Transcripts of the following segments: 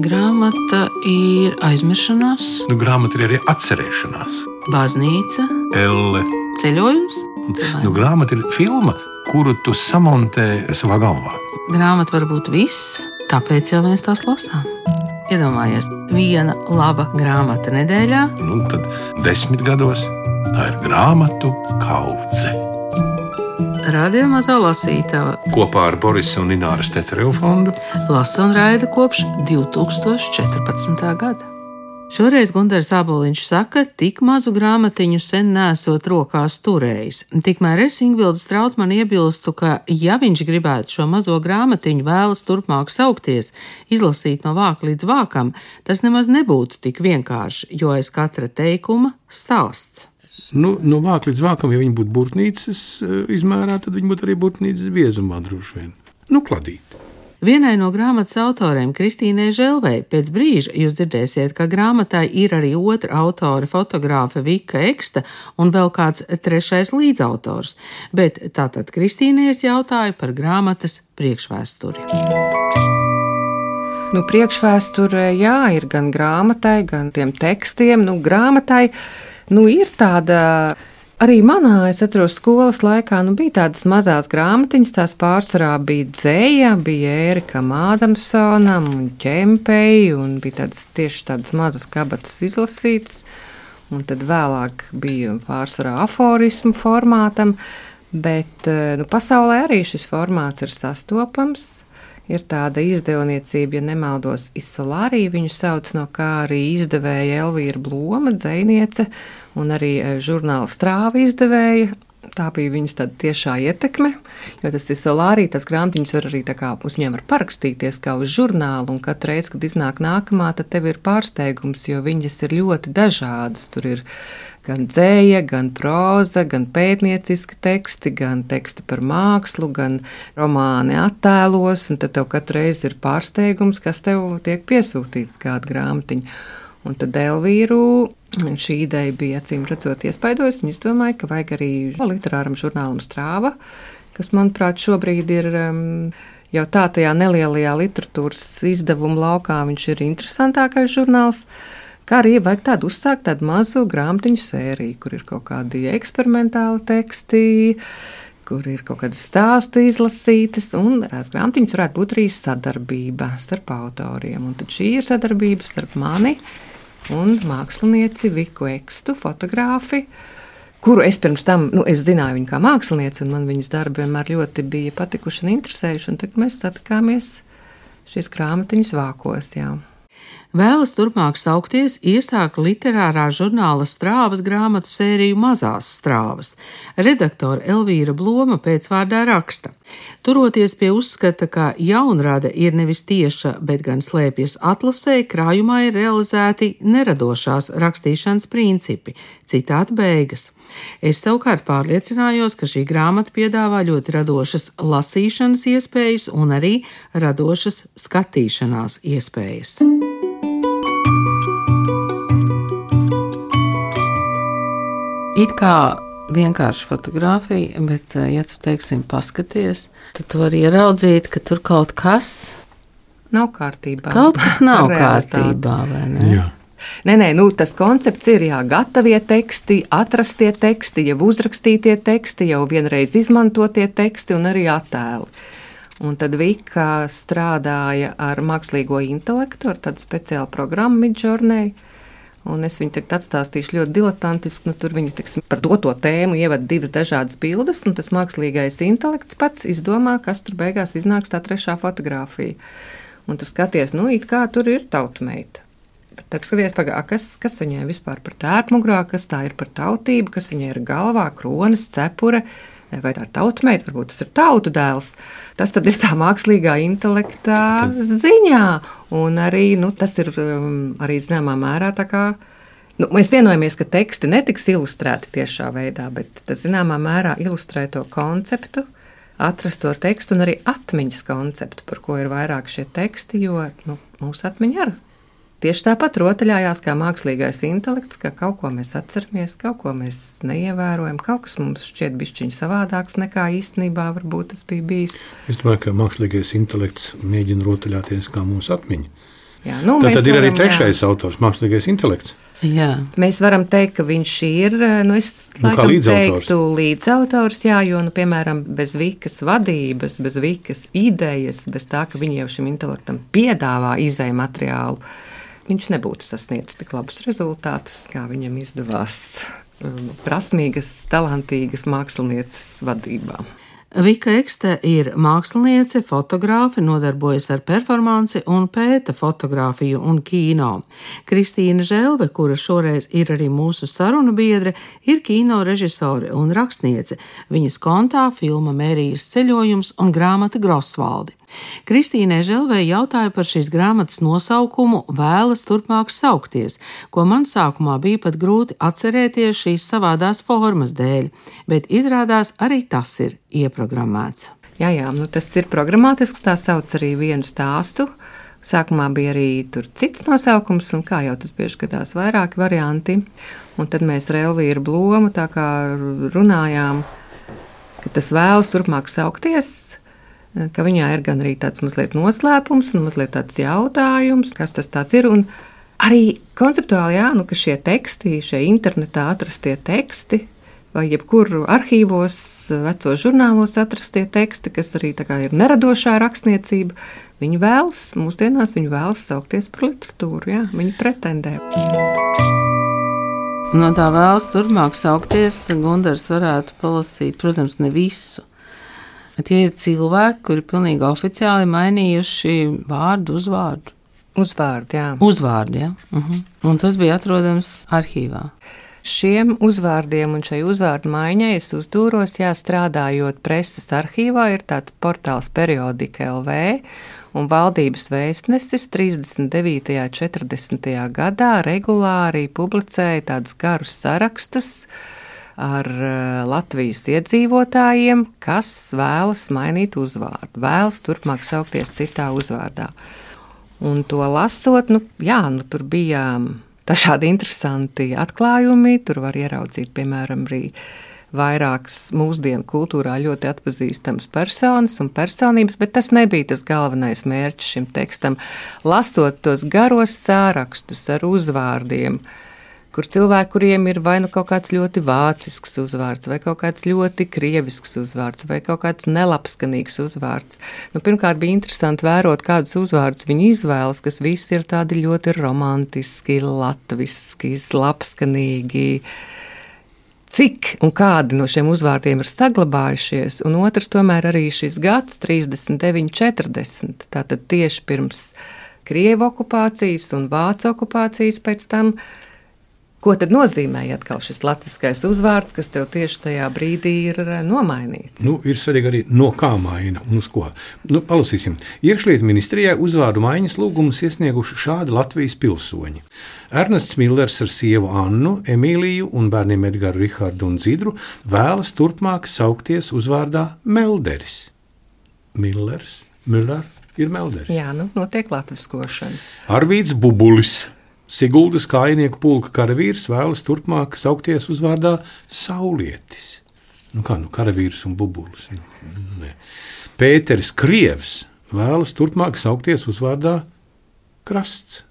Grāmata ir aizmiršanās, Grāmata ir arī atcerēšanās. baznīca, Elle. ceļojums. Grāmata ir filma, kuru tu samontē savā galvā. Grāmata var būt viss, tāpēc jau mēs tās lasām. Iedomājies, viena laba grāmata nedēļā. Tad 10 gados tā ir grāmatu kaudze. Radio Mazā lasītava Kopā ar Borisa un Ināras Tetereva fondu lasa un raida kopš 2014. gada. Šoreiz Gunārs Āboliņš saka, tik mazu grāmatiņu sen nesot rokās turējis. Tikmēr es Ingvilda Strautmane iebilstu, ka, ja viņš gribētu šo mazo grāmatiņu vēlas turpmāk saukties, izlasīt no vāka līdz vākam, tas nemaz nebūtu tik vienkārši, jo aiz katra teikuma stāsts. No vāka līdz vākam, ja viņi būtu burtnīcas izmērā, tad viņi būtu arī burtnīcas biezumā droši vien. Kladīt. Vienai no grāmatas autoriem, Kristīnai Želvei, pēc brīža jūs dzirdēsiet, ka grāmatai ir arī otra autore, fotogrāfe Vika Eksta un vēl kāds trešais līdzautors. Bet tātad Kristīnai es jautāju par grāmatas priekšvēsturi. Priekšvēsture, jā, ir gan grāmatai, gan tiem tekstiem. Grāmatai ir tāda. Arī manā, es atceros, skolas laikā bija tādas mazas grāmatiņas, tās pārsvarā bija dzēja, bija Ērikam Ādamsonam un Ķempei, un bija tieši tādas mazas kabatas izlasītas, un tad vēlāk bija pārsvarā aforismu formātam, bet pasaulē arī šis formāts ir sastopams. Ir tāda izdevniecība, ja nemaldos, Isolārija viņu sauc, no kā arī izdevēja Elvīra Bloma, dzejniece, un arī žurnāla Strāva izdevēja. Tā bija viņas tāda tiešā ietekme, jo tas Isolārija, tas grāmatiņas var arī tā kā uz viņiem var parakstīties kā uz žurnālu, un katru reizi, kad iznāk nākamā, tad tev ir pārsteigums, jo viņas ir ļoti dažādas. Tur ir gan dzēja, gan próza, gan pētnieciski teksti, gan teksti par mākslu, gan romāni attēlos, un tad tev katru reizi ir pārsteigums, kas tev tiek piesūtīts kāda grāmatiņa. Un tad Elvīru šī ideja bija acīm redzot iespaidojusi, un es domāju, ka vajag arī literāram žurnālam Strāva, kas, manuprāt, šobrīd ir jau tā tajā nelielajā literatūras izdevuma laukā, viņš ir interesantākais žurnāls. Kā arī vajag tādu uzsākt tādu mazu grāmatiņu sēriju, kur ir kaut kādi eksperimentāli teksti, kur ir kaut kādas stāstu izlasītas, un tās grāmatiņas varētu būt arī sadarbība starp autoriem. Un tad šī ir sadarbība starp mani un mākslinieci Viku Ekstu, fotogrāfi, kuru es pirms tam, es zināju viņu kā mākslinieci, un man viņas darbi vienmēr ļoti bija patikuši un interesējuši, un tagad mēs satikāmies šīs grāmatiņas vākos, jā. Vēlas turpmāk saukties, iesāka literārā žurnāla Strāvas grāmatu sēriju Mazās strāvas. Redaktore Elvīra Bloma pēcvārdā raksta. Turoties pie uzskata, ka jaunrada ir nevis tieša, bet gan slēpjas atlasē, krājumā ir realizēti neradošās rakstīšanas principi. Citāta beigas. Es savukārt pārliecinājos, ka šī grāmata piedāvā ļoti radošas lasīšanas iespējas un arī radošas skatīšanās iespējas. It kā vienkārši fotografija, bet, ja tu, teiksim, paskaties, tad tu vari ieraudzīt, ka tur kaut kas nav kārtībā. Kaut kas nav kārtībā, vai ne? Jā. Nē, tas koncepts ir gatavie teksti, atrastie teksti, jau uzrakstītie teksti, jau vienreiz izmantotie teksti un arī attēli. Un tad Vika strādāja ar mākslīgo intelektu, ar tādu speciālu programmu Midjourney. Un es viņu tagad atstāstīšu ļoti diletantiski, tur viņi, par doto tēmu ievada divas dažādas bildes, un tas mākslīgais intelekts pats izdomā, kas tur beigās iznāks tā trešā fotografija. Un tu skaties, it kā tur ir tautmeita. Bet tad skaties, kas viņai vispār par tērpmugurā, kas tā ir par tautību, kas viņai ir galvā, kronas, cepure, vai tā ir tautmeita, varbūt tas ir tautu dēls. Tas tad ir tā mākslīgā intelektā ziņā. Un arī, tas ir arī zināmā mērā tā kā, mēs vienojamies, ka teksti netiks ilustrēti tiešā veidā, bet tas zināmā mērā ilustrē to konceptu, atrast to tekstu un arī atmiņas konceptu, par ko ir vairāk šie teksti, jo mūsu atmiņa arī tieši tāpat rotaļājās kā mākslīgais intelekts, ka kaut ko mēs atceramies, kaut ko mēs neievērojam, kaut kas mums šķiet bišķiņ savādāks nekā īstenībā varbūt tas bija bijis. Es domāju, ka mākslīgais intelekts mēģina rotaļāties kā mūsu atmiņa. Jā, tad ir arī trešais autors, mākslīgais intelekts. Jā. Mēs varam teikt, ka viņš ir, es laikam teiktu līdzautors, jā, jo, piemēram, bez Vikas vadības, bez Vikas idejas, bez tā, ka viņi jau šim intelektam piedāvā izēju materiālu, viņš nebūtu sasniedzis tik labus rezultātus, kā viņam izdevās prasmīgas, talantīgas mākslinieces vadībā. Vika Ekste ir māksliniece, fotogrāfe, nodarbojas ar performanci un pēta fotogrāfiju un kino. Kristīna Želve, kura šoreiz ir arī mūsu sarunu biedre, ir kino režisore un rakstniece. Viņas kontā filma Mērijas ceļojums un grāmata Grosvaldi. Kristīnai Želvei jautāja par šīs grāmatas nosaukumu Vēlas turpmāk saukties, ko man sākumā bija pat grūti atcerēties šīs savādās formas dēļ, bet izrādās arī tas ir ieprogrammēts. Jā, tas ir programmatisks, tā sauc arī vienu stāstu. Sākumā bija arī tur cits nosaukums, un kā jau tas bieži gadās vairāki varianti. Un tad mēs ar Elvīru Blomu tā kā runājām, ka tas vēlas turpmāk saukties, ka viņā ir gan arī tāds mazliet noslēpums un mazliet tāds jautājums, kas tas tāds ir. Un arī konceptuāli, ka šie teksti, šie internetā atrastie teksti, vai jebkur arhīvos, vecos žurnālos atrastie teksti, kas arī tā kā ir neradošā rakstniecība, viņi vēlas saukties par literatūru, viņi pretendē. No tā vēlas turpmāk saukties, Gundars varētu palasīt, protams, ne visu. Bet tie ir cilvēki, kuri pilnīgi oficiāli mainījuši vārdu, uzvārdu. Uzvārdu, jā. Uzvārdu, jā. Un tas bija atrodams arhīvā. Šiem uzvārdiem un šai uzvārdu maiņai es uzdūros, strādājot preses arhīvā, ir tāds portāls Periodika LV, un valdības vēstnesis 39. un 40. gadā regulāri publicēja tādus garus sarakstus ar Latvijas iedzīvotājiem, kas vēlas mainīt uzvārdu, vēlas turpmāk saukties citā uzvārdā. Un to lasot, tur bija dažādi interesanti atklājumi, tur var ieraudzīt, piemēram, arī vairākas mūsdienu kultūrā ļoti atpazīstamas personas un personības, bet tas nebija tas galvenais mērķis šim tekstam. Lasot tos garos sārakstus ar uzvārdiem, kur cilvēki, kuriem ir vai kaut kāds ļoti vācisks uzvārds, vai kaut kāds ļoti krievisks uzvārds, vai kaut kāds nelabskanīgs uzvārds. Pirmkārt, bija interesanti vērot, kādus uzvārdus viņi izvēlas, kas visi ir tādi ļoti romantiski, latviski, labskanīgi. Cik un kādi no šiem uzvārdiem ir saglabājušies, un otrs tomēr arī šis gads 39, 40, tātad tieši pirms Krievu okupācijas un Vācu okupācijas pēc tam. Ko tad nozīmēja atkal šis latviskais uzvārds, kas tev tieši tajā brīdī ir nomainīts? Ir svarīgi arī no kā maina un uz ko. Palasīsim. Iekšlietu ministrijai uzvārdu maiņas lūgumus iesnieguši šādi Latvijas pilsoņi. Ernests Millers ar sievu Annu, Emīliju un bērniem Edgaru, Rihardu un Dzidru vēlas turpmāk saukties uzvārdā Melderis. Müller ir Melderis. Jā, notiek latviskošana. Arvīds Bubulis. Siguldas kājnieku pulka karavīrs vēlas turpmāk saukties uzvārdā Saulietis. Karavīrs un bubulis. Pēteris Krievs vēlas turpmāk saukties uzvārdā Krasts.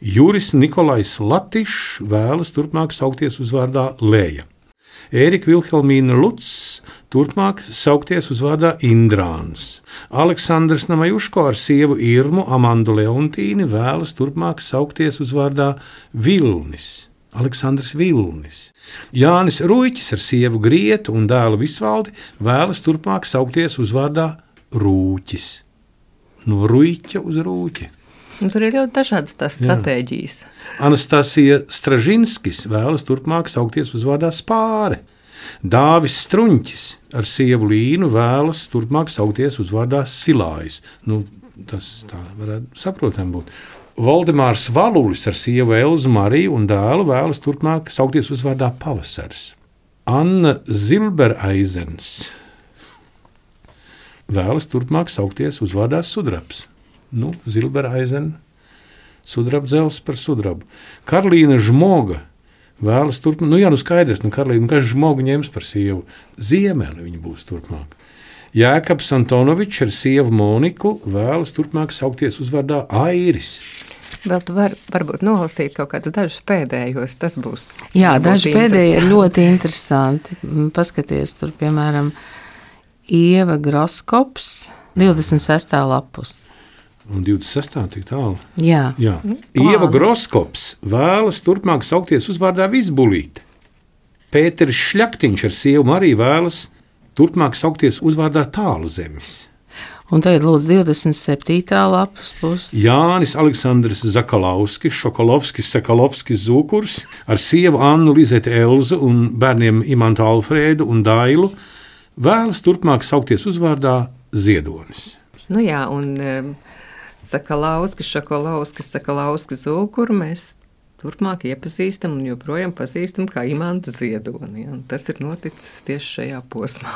Juris Nikolais Latišs vēlas turpmāk saukties uzvārdā Lēja. Ērika Vilhelmīna Luts turpmāk saukties uzvārdā Indrāns. Aleksandrs Namajuško ar sievu Irmu Amandu Leontīni vēlas turpmāk saukties uzvārdā Vilnis. Aleksandrs Vilnis. Jānis Ruiķis ar sievu Grietu un dēlu Visvaldi vēlas turpmāk saukties uzvārdā Rūķis. No Ruiķa uz Rūķi. Tur ir ļoti dažādas tās stratēģijas. Anastasija Stražinskis vēlas turpmāk saukties uzvārdā Spāre. Dāvis Struņķis ar sievu Līnu vēlas turpmāk saukties uzvārdā Silājs. Tas tā varētu saprotam būt. Valdemārs Valulis ar sievu Elzu Mariju un dēlu vēlas turpmāk saukties uzvārdā Pavasars. Anna Zilbereizens vēlas turpmāk saukties uzvārdā Sudrabs. Zilbereizena, sudrabdzels par sudrabu. Karlīna Žmoga vēlas turpmāk, skaidrs, Karlīna, kas Žmoga ņems par sievu. Ziemeli viņa būs turpmāk. Jēkabs Antonovičs ar sievu Moniku vēlas turpmāk saukties uzvārdā Airis. Vēl tu varbūt nolasīt kaut kādus dažus pēdējos, tas būs. Jā, daži pēdējie ir ļoti interesanti. Paskaties, tur piemēram Ieva Groskops, 26. lapus. Un 26. cik tālu? Jā. Ieva Groskops vēlas turpmāk saukties uzvārdā Vizbulīte. Pēteris Šļaktiņš ar sievu Mariju vēlas turpmāk saukties uzvārdā Tālzemis. Un tagad lūdzu 27. lapas pusi. Jānis Aleksandrs Zakalovskis, Šokolovskis, Sakalovskis Zūkurs ar sievu Annu Lizeti Elzu un bērniem Imantu Alfrēdu un Dailu vēlas turpmāk saukties uzvārdā Ziedonis. Nu jā, un Sakalovskis, Šokolovskis, Sakalovskis Zūkuru mēs turpmāk iepazīstam un joprojām pazīstam kā Imantu Ziedoni. Un tas ir noticis tieši šajā posmā.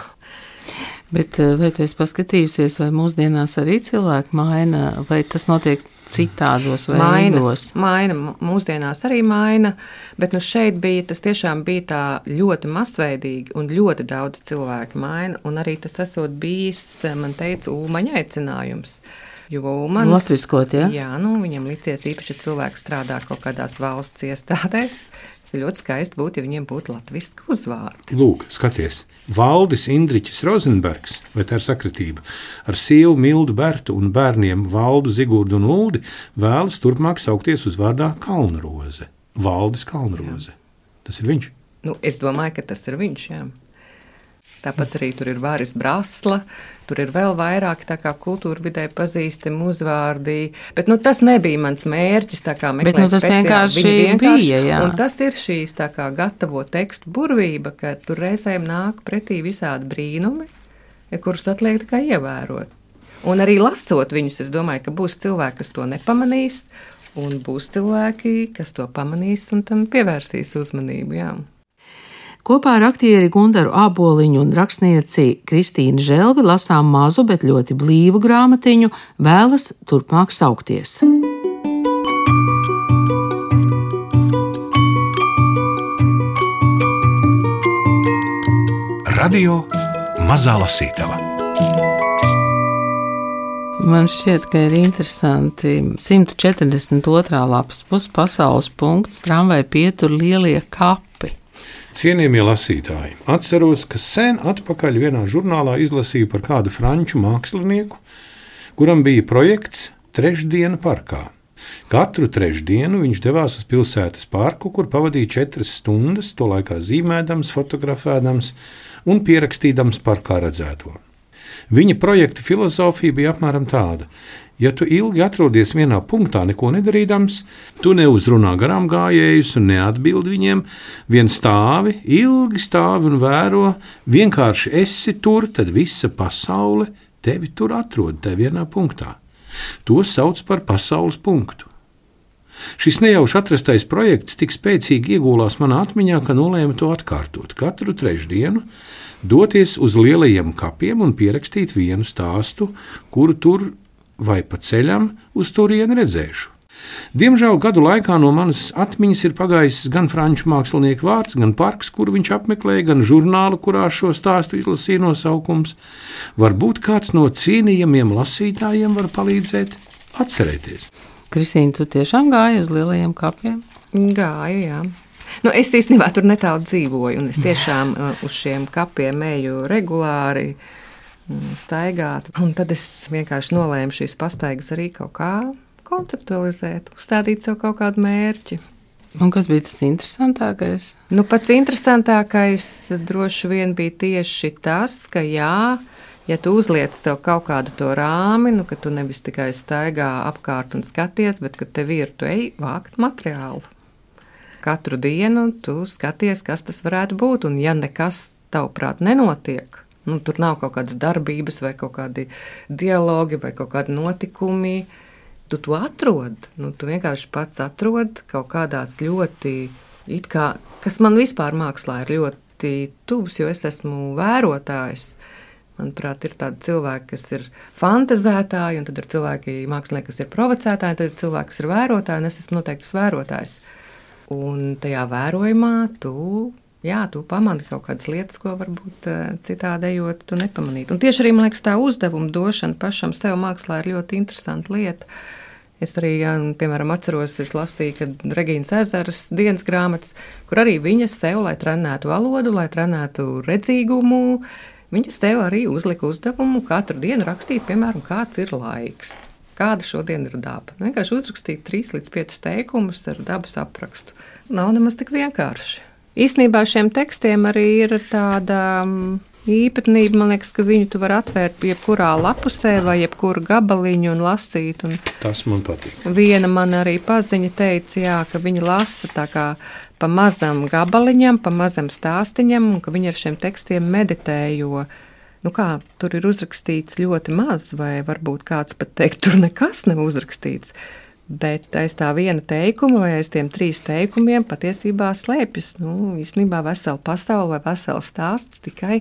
Bet vai tu esi paskatījusies, vai mūsdienās arī cilvēki maina, vai tas notiek citādos veidos? Maina, mūsdienās arī maina, bet nu šeit tas tiešām bija tā ļoti masveidīgi un ļoti daudz cilvēku maina, un arī tas esot bijis, man teica, Ulmaņa aicinājums. Jo Ulmanis, latviskot, ja? Jā, nu viņam licies īpaši cilvēki strādā kaut kādās valsts iestādēs. Ļoti skaisti būtu, ja viņiem būtu latviski uzvārdi. Lūk, skaties, Valdis Indriķis Rozenbergs, vai tā ir sakritība, ar sievu Mildu Bertu un bērniem Valdu, Zigurdu un Uldi vēlas turpmāk saukties uzvārdā Kalnroze. Valdis Kalnroze. Tas ir viņš? Nu, es domāju, ka tas ir viņš, jā. Tāpat arī tur ir Vāris Brasla, tur ir vēl vairāk tā kā kultūra vidē pazīstami uzvārdi, bet nu, tas nebija mans mērķis, tā kā meklēt bet, nu, tas speciāli. Bija, jā. Un tas ir šīs tā kā gatavo tekstu burvība, ka tur reizēm nāk pretī visādi brīnumi, kurus atliek tikai ievērot. Un arī lasot viņus, es domāju, ka būs cilvēki, kas to nepamanīs, un būs cilvēki, kas to pamanīs un tam pievērsīs uzmanību, jā. Kopā ar aktieri Gundaru Āboliņu un rakstnieci Kristīnu Želvi lasām mazu, bet ļoti blīvu grāmatiņu Vēlas turpmāk saukties. Radio Mazā lasītava. Man šķiet, ka ir interesanti 142. lapas puses pasaules punkts tramvaju pietur lielie kapi. Cienījamie lasītāji, atceros, ka sen atpakaļ vienā žurnālā izlasīju par kādu franču mākslinieku, kuram bija projekts Trešdiena parkā. Katru trešdienu viņš devās uz pilsētas parku, kur pavadīja 4 stundas, to laikā zīmēdams, fotografēdams un pierakstīdams parkā redzēto. Viņa projekta filozofija bija apmēram tāda: ja tu ilgi atrodies vienā punktā, neko nedarīdams, tu neuzrunā garām gājējus un neatbildi viņiem, vien stāvi, ilgi stāvi un vēro, vienkārši esi tur, tad visa pasaule tevi tur atrod, te vienā punktā. To sauc par pasaules punktu. Šis nejauši atrastais projekts tik spēcīgi iegūlās manā atmiņā, ka nolēmu to atkārtot katru trešdienu, doties uz lielajiem kapiem un pierakstīt vienu stāstu, kuru tur vai pa ceļam uz turieni redzēšu. Diemžēl gadu laikā no manas atmiņas ir pagājis gan franču mākslinieku vārds, gan parks, kuru viņš apmeklēja, gan žurnālu, kurā šo stāstu izlasīja nosaukums. Varbūt kāds no cienījamiem lasītājiem var palīdzēt atcerēties. Kristīna, tu tiešām gāji uz lielajiem kapiem? Gāju, jā. Nu, es īstenībā tur netālu dzīvoju, un es tiešām uz šiem kapiem eju regulāri staigāt. Un tad es vienkārši nolēmu šīs pastaigas arī kaut kā konceptualizēt, uzstādīt sev kaut kādu mērķi. Un kas bija tas interesantākais? Nu, pats interesantākais droši vien bija tieši tas, ka jā, ja tu uzliec sev kaut kādu to rāmi, nu, ka tu nevis tikai staigā apkārt un skaties, bet ka tev ir, tu ej vākt materiālu. Katru dienu tu skaties, kas tas varētu būt, un ja nekas tavuprāt nenotiek, nu, tur nav kaut kādas darbības vai kaut kādi dialogi vai kaut kādi notikumi, tu to atrod. Nu, tu vienkārši pats atrod kaut kādās ļoti, it kā, kas man vispār mākslā ir ļoti tuvs, jo es esmu vērotājs. Manuprāt, ir tādi cilvēki, kas ir fantazētāji, un tad ir cilvēki, mākslinieki, kas ir provocētāji, tad ir cilvēki, kas ir vērotāji, un es esmu noteikti tas vērotājs. Un tajā vērojumā tu Jā, tu pamani kaut kādas lietas, ko varbūt citādējot, tu nepamanītu. Un tieši arī, man liekas, tā uzdevuma došana pašam sev mākslā ir ļoti interesanta lieta. Es arī, piemēram, atceros, es lasīju, kad Regīnas Ezeras dienas grāmatas, kur arī viņa sev, lai trenētu valodu, lai trenētu redzīgumu, viņa sev arī uzlika uzdevumu katru dienu rakstīt, piemēram, kāds ir laiks, kāda šodien ir daba. Vienkārši uzrakstīt 3 līdz 5 teikumus ar dabas aprakstu. Nav nemaz tik vienkārši. Īstenībā šiem tekstiem arī ir tāda īpatnība, man liekas, ka viņu tu vari atvērt jebkurā lapusē vai jebkuru gabaliņu un lasīt. Un tas man patīk. Viena man arī paziņa teica, jā, ka viņa lasa tā kā pa mazam gabaliņam, pa mazam stāstiņam, un ka viņa ar šiem tekstiem meditē, jo, tur ir uzrakstīts ļoti maz, vai varbūt kāds pat teikt, tur nekas nav uzrakstīts. Bet aiz tā viena teikuma vai aiz tiem 3 teikumiem patiesībā slēpjas, īstenībā vesela pasaule vai vesels stāsts, tikai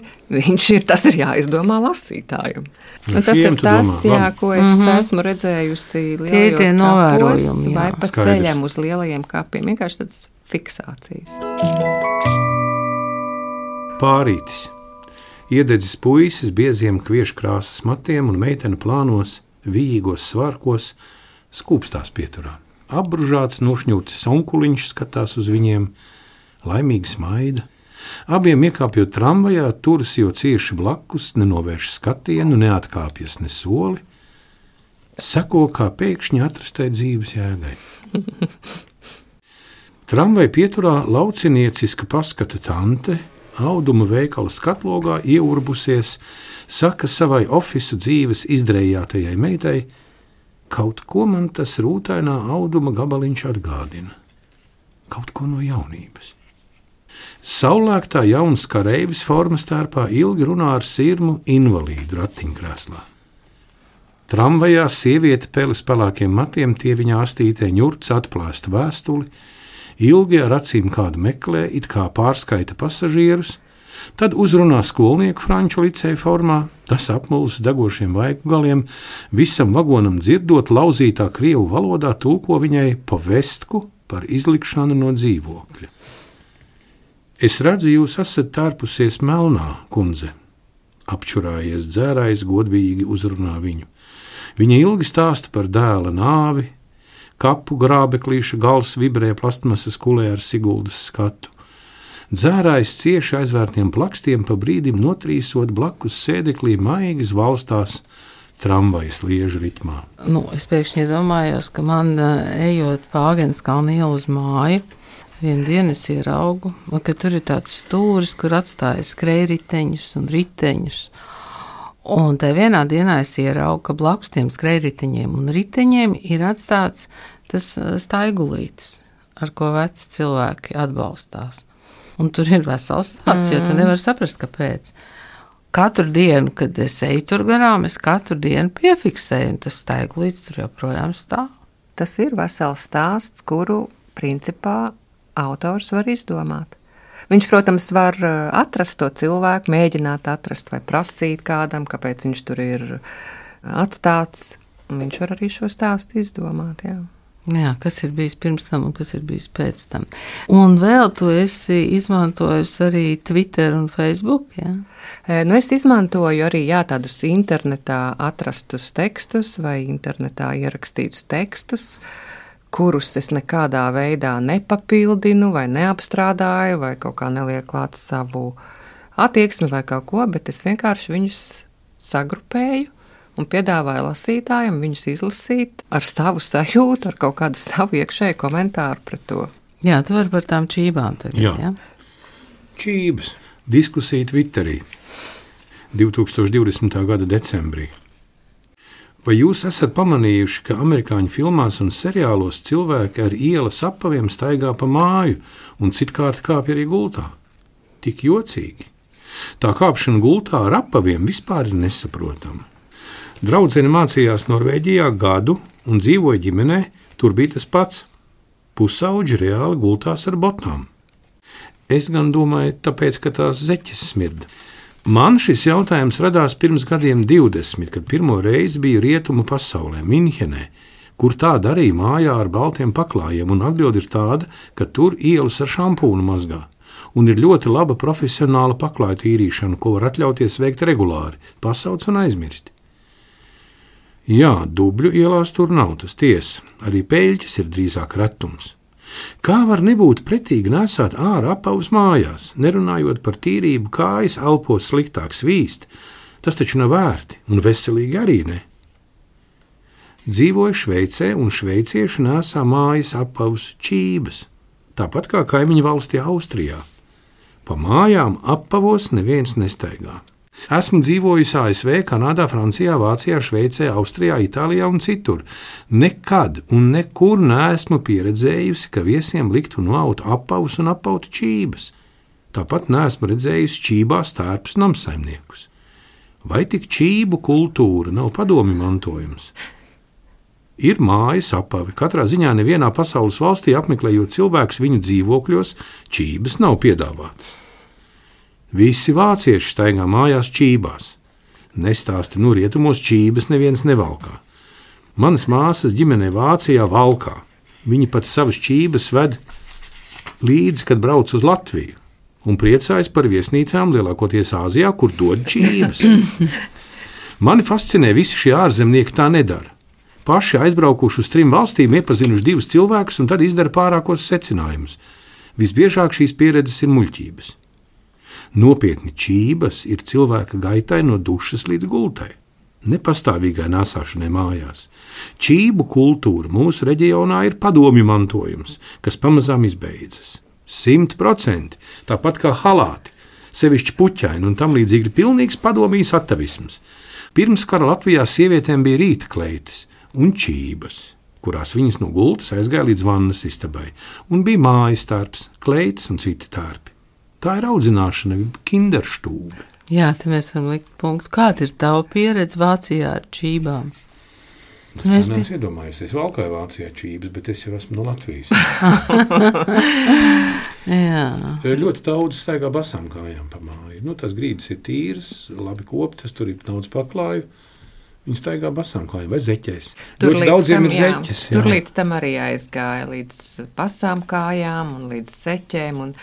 tas ir jāizdomā lasītājiem. Tas ir tas, ko es esmu redzējusi lielajos kapos vai pa ceļam uz lielajiem kapiem. Vienkārši tādas fiksācijas. Pārītis. Iededzis puisis bieziem kvieškrāsas matiem un meitene plānos, vīgos svarkos, skūpstās pieturā. Apbružāts, nošņūcis onkuliņš skatās uz viņiem, laimīgi smaida. Abiem iekāpjot tramvajā, turas jau cieši blakus, nenovērš skatienu, neatkāpjas ne soli. Seko kā pēkšņi atrastai dzīves jēgai. Tramvaja pieturā laucinieciska paskata tante, auduma veikala skatlogā ieurbusies, saka savai ofisu dzīves izdrējātajai meitai, kaut ko man tas rūtainā auduma gabaliņš atgādina. Kaut ko no jaunības. Saulēktā jauns kareivis formas tērpā ilgi runā ar sirmu invalīdu ratiņkrēslā. Tramvajā sieviete peles pelākiem matiem tie viņa astītē ņurts atplēsta vēstuli, ilgi ar acīm kādu meklē, it kā pārskaita pasažierus, tad uzrunā skolnieku franču liceja formā, tas apmulis degošiem vaigu galiem, visam vagonam dzirdot lauzītā krievu valodā tulko viņai povestku par izlikšanu no dzīvokļa. Es redzu, jūs esat tērpusies melnā, kundze. Apčurājies dzērājs godīgi uzrunā viņu. Viņa ilgi stāsta par dēla nāvi, kapu grābeklīša gals vibrē plastmasas kulē ar Siguldas skatu. Dzērājs cieši aizvērtiem plakstiem pa brīdim notrīsot blakus sēdeklī maigi valstās tramvajas liežu ritmā. Es pēkšņi domājos, ka man ejot pa Āgenskalna ielu uz māju, vienu dienu es ieraugu, ka tur ir tāds stūris, kur atstāja skrējriteņus un riteņus. Un tā vienā dienā es ieraugu, ka blakus tiem skrējriteņiem un riteņiem ir atstāts tas staigulītis, ar ko veci cilvēki atbalstās. Un tur ir vesels stāsts, jo tu nevari saprast, kāpēc. Katru dienu, kad es eju tur garām, es katru dienu piefiksēju, un tas staigulītis tur joprojām stāv. Tas ir vesels stāsts, kuru principā autors var izdomāt. Viņš, protams, var atrast to cilvēku, mēģināt atrast vai prasīt kādam, kāpēc viņš tur ir atstāts. Viņš var arī šo stāstu izdomāt, jā. Jā, kas ir bijis pirms tam un kas ir bijis pēc tam. Un vēl tu esi izmantojusi arī Twitter un Facebook, jā? Es izmantoju arī tādus internetā atrastus tekstus vai internetā ierakstītus tekstus, kurus es nekādā veidā nepapildinu vai neapstrādāju vai kaut kā nelieku klāt savu attieksmi vai kaut ko, bet es vienkārši viņus sagrupēju un piedāvāju lasītājiem viņus izlasīt ar savu sajūtu, ar kaut kādu savu iekšēju komentāru pret to. Jā, tu vari par tām čībām tagad, jā? Čības. Diskusija Twitterī 2020. gada decembrī. Vai jūs esat pamanījuši, ka amerikāņu filmās un seriālos cilvēki ar ielas apaviem staigā pa māju un citkārt kāpj arī gultā? Tik jocīgi. Tā kāpšana gultā ar apaviem vispār ir nesaprotama. Draudzene mācījās Norvēģijā gadu un dzīvoja ģimenē, tur bija tas pats. Pusauģi reāli gultās ar botnām. Es gan domāju, tāpēc, ka tās zeķes smirda. Man šis jautājums radās pirms gadiem 20, kad pirmo reizi biju rietumu pasaulē, Minhenē, kur tā darīja mājā ar baltiem paklājiem, un atbilde ir tāda, ka tur ielas ar šampūnu mazgā. un ir ļoti laba profesionāla paklāja tīrīšana, ko var atļauties veikt regulāri, pasauc un aizmirst. Jā, Dubļu ielās tur nav, tas tiesa, arī peļķis ir drīzāk retums. Kā var nebūt pretīgi nesāt ārā apavus mājās, nerunājot par tīrību, kājas elpos sliktāk svīst, tas taču nav vērti un veselīgi arī ne. Dzīvoju Šveicē un šveicieši nesā mājas apavus čības, tāpat kā kaimiņu valstī Austrijā. Pa mājām apavos neviens nestaigā. Esmu dzīvojis ASV, Kanādā, Francijā, Vācijā, Šveicē, Austrijā, Itālijā un citur. Nekad un nekur neesmu pieredzējusi, ka viesiem liktu noaut apavus un apautu čības. Tāpat neesmu redzējusi čībās tērpus namsaimniekus. Vai tik čību kultūra nav padomju mantojums? Ir mājas apavi. Katrā ziņā nevienā pasaules valstī apmeklējot cilvēkus viņu dzīvokļos, čības nav piedāvātas. Visi vācieši staigā mājās čībās. Nestāsti, rietumos čības neviens nevalkā. Manas māsas ģimenē Vācijā valkā. Viņi pat savas čības ved līdzi, kad brauc uz Latviju, un priecājas par viesnīcām lielākoties Āzijā, kur dod čības. Mani fascinē visi šie ārzemnieki tā nedara. Paši aizbraukuši uz 3 valstīm, iepazinuši 2 cilvēkus un tad izdara pārākos secinājumus. Visbiežāk šīs pieredzes ir muļķības. Nopietni, čības ir cilvēka gaitai no dušas līdz gultai, nepastāvīgai nāsāšanai mājās. Čību kultūra mūsu reģionā ir padomju mantojums, kas pamazām izbeidzas. 100%, tāpat kā halāti, sevišķi puķaini un tam līdzīgi ir pilnīgs padomijas atavisms. Pirms kara Latvijā sievietēm bija rīta kleitis un čības, kurās viņas no gultas aizgāja līdz vannas istabai, un bija mājas tērps, kleitis un citi tērpi. Tā ir audzināšana, kinderštūbe. Jā, te mēs varam likt punktu. Kāda ir tava pieredze Vācijā ar čībām? Es neesmu iedomājies, es valkāju Vācijā čības, bet es jau esmu no Latvijas. Jā. Ļoti daudz staigā basām kājām pa māju. Tas grīdas ir tīras, labi koptas, tur ir daudz paklāju. Viņi staigā basām kājām vai zeķēs. Ļoti daudziem ir zeķes. Jā. Tur līdz tam arī aizgāja, līdz basām kājām un līdz zeķēm. Un,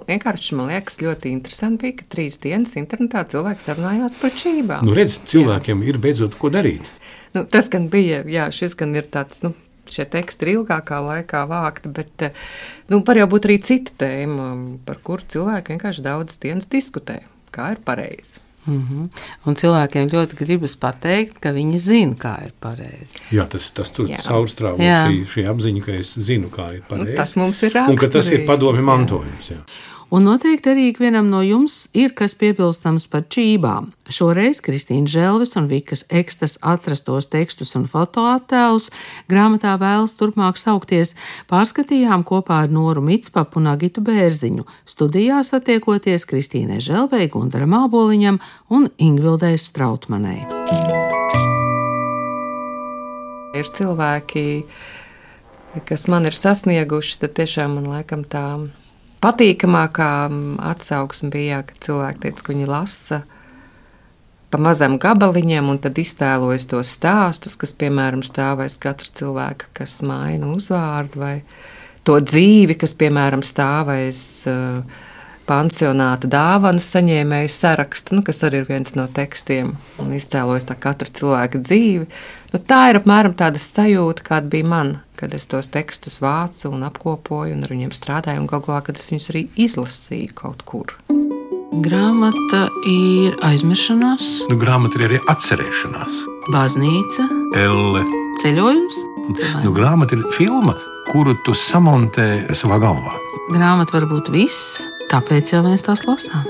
vienkārši man liekas ļoti interesanti bija, ka 3 dienas internetā cilvēki sarunājās par čībām. Redz, cilvēkiem ir beidzot ko darīt. Tas gan bija, šis gan ir tāds, šie teksti ir ilgākā laikā vākti, bet var jau būt arī cita tēma, par kuru cilvēki vienkārši daudzas dienas diskutē, kā ir pareizi. Un cilvēkiem ļoti gribas pateikt, ka viņi zina, kā ir pareizi. Jā, tas tur caurstrāvo šī apziņa, ka es zinu, kā ir pareizi. Tas mums ir raksturīgi. Un ka tas ir padomju mantojums. Jā. Un noteikti arī ikvienam no jums ir kas piebilstams par čībām. Šoreiz Kristīna Želves un Vikas Ekstas atrastos tekstus un fotoattēlus grāmatā Vēlas turpmāk saukties pārskatījām kopā ar Noru Mitspapu un Agitu Bērziņu, studijā satiekoties Kristīnai Želvei, Gundaram Āboliņam un Ingvildei Strautmanei. Ir cilvēki, kas man ir sasnieguši, tad tiešām man laikam tā patīkamākā atsauksme bija, ka cilvēki teica, ka viņi lasa pa mazam gabaliņam un tad iztēlojas tos stāstus, kas, piemēram, stāv aiz katra cilvēka, kas maina uzvārdu, vai to dzīvi, kas, piemēram, stāv aiz pansionāta dāvanu saņēmēju sarakstu, kas arī ir viens no tekstiem, un iztēlojas tā katra cilvēka dzīvi. Tā ir apmēram tāda sajūta, kāda bija man, kad es tos tekstus vācu un apkopoju un ar viņiem strādāju, un galvā, kad es viņus arī izlasīju kaut kur. Grāmata ir aizmiršanās. Grāmata ir arī atcerēšanās. Baznīca. Elle. Ceļojums. Grāmata ir filma, kuru tu samontē savā galvā. Grāmata var būt viss, tāpēc jau mēs tās lasām.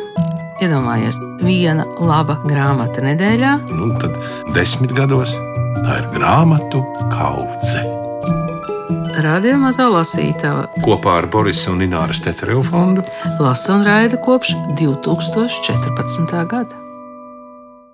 Iedomājies, viena laba grāmata nedēļā. Tad 10 gados tā ir grāmatu kaudze. Radio Mazā lasītava Kopā ar Borisa un Ināras Teterevu fondu lasa un raida kopš 2014. gada.